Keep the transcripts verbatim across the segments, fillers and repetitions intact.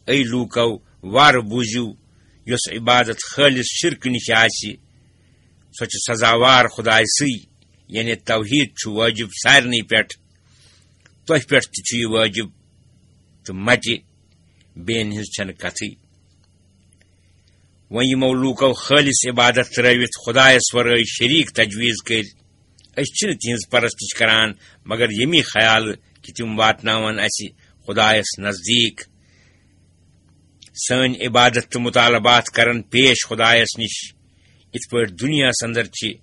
A لوٗکو، وارٕ بوٗزِو، یۄس عبادت خٲلص شرکہٕ نِش آسہِ، سۄ چھِ سزاوار خدایہِ سٕے، یعنی توحید چھُ وٲجِب سارنٕے پٮ۪ٹھ۔ تۄہہِ پٮ۪ٹھ تہِ چھُ یہِ وٲجِب، تہٕ مَٹہِ بیٚین ہٕنٛز چھَنہٕ کتھٕے۔ وۄنۍ یِمو لوٗکو خٲلص عبادت ترٲوِتھ خدایس ورٲے شریٖک تجویز کٔرۍ، أسۍ چھِنہٕ تِہنٛز پرستش کران مگر ییٚمی خیالہٕ کہِ تِم واتناون اسہِ خدایس نزدیٖک۔ سٲنۍ عبادت تہٕ مطالبات کرن پیش خدایس نِش، یِتھ پٲٹھۍ دُنیاہس اندر چھِ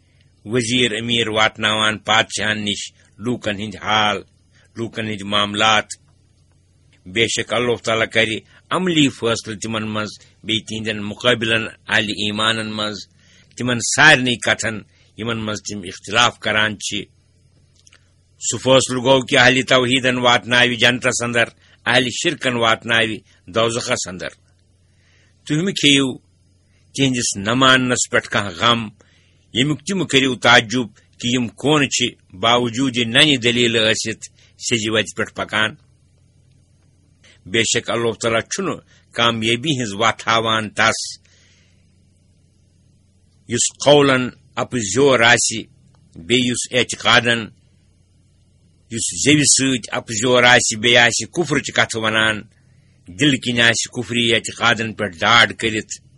وزیر امیر واتناوان پادشاہن نِش لوٗکن ہٕنٛدۍ حال، لوٗکن ہٕنٛدۍ معاملات۔ بے شک اللہ تعالیٰ کرِ عملی فٲصلہٕ تِمن منٛز، بیٚیہِ تِہنٛدٮ۪ن مُقٲبلن اہلِ ایمانن منٛز، تِمن سارنٕے کتھن یِمن منٛز تِم اختلاف کران چھِ۔ سُہ فٲصلہٕ گوٚو کہِ اہلِ توحیدن واتناوِ جنتس اندر، اہلِ شرکن واتناوِ دوزخس اندر۔ تُہۍ مہٕ کھیٚیِو تِہنٛدِس نہ ماننس پٮ۪ٹھ کانٛہہ غم، ییٚمیُک تہِ مہٕ کٔرِو تعجب کہِ یِم کون چھِ باوجوٗد ننہِ دٔلیٖلہٕ ٲسِتھ سیٚزِ وتہِ پٮ۪ٹھ پکان۔ بے شک اللہ تعالیٰ چھُنہٕ کامیٲبی ہٕنٛز وتھ ہاوان تس، یُس قولن اپزیور آسہِ، بیٚیہِ یُس اعتقادن، یُس زیوِ سۭتۍ اپزیور آسہِ، بیٚیہِ آسہِ کفرٕچ کتھٕ ونان، دِلہٕ کِنۍ آسہِ کفری اعتقادن پٮ۪ٹھ ڈاڈ کٔرِتھ۔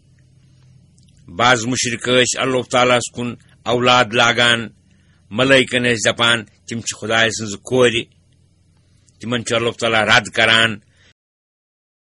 بعض مُشرِک ٲسۍ اللہ تعالیٰ ہس کُن اولاد لاگان، ملٲیکن ٲسۍ دپان تِم چھِ خدایہِ سٕنٛزٕ کورِ۔ تِمن چھُ اللہ تعالیٰ رد کران،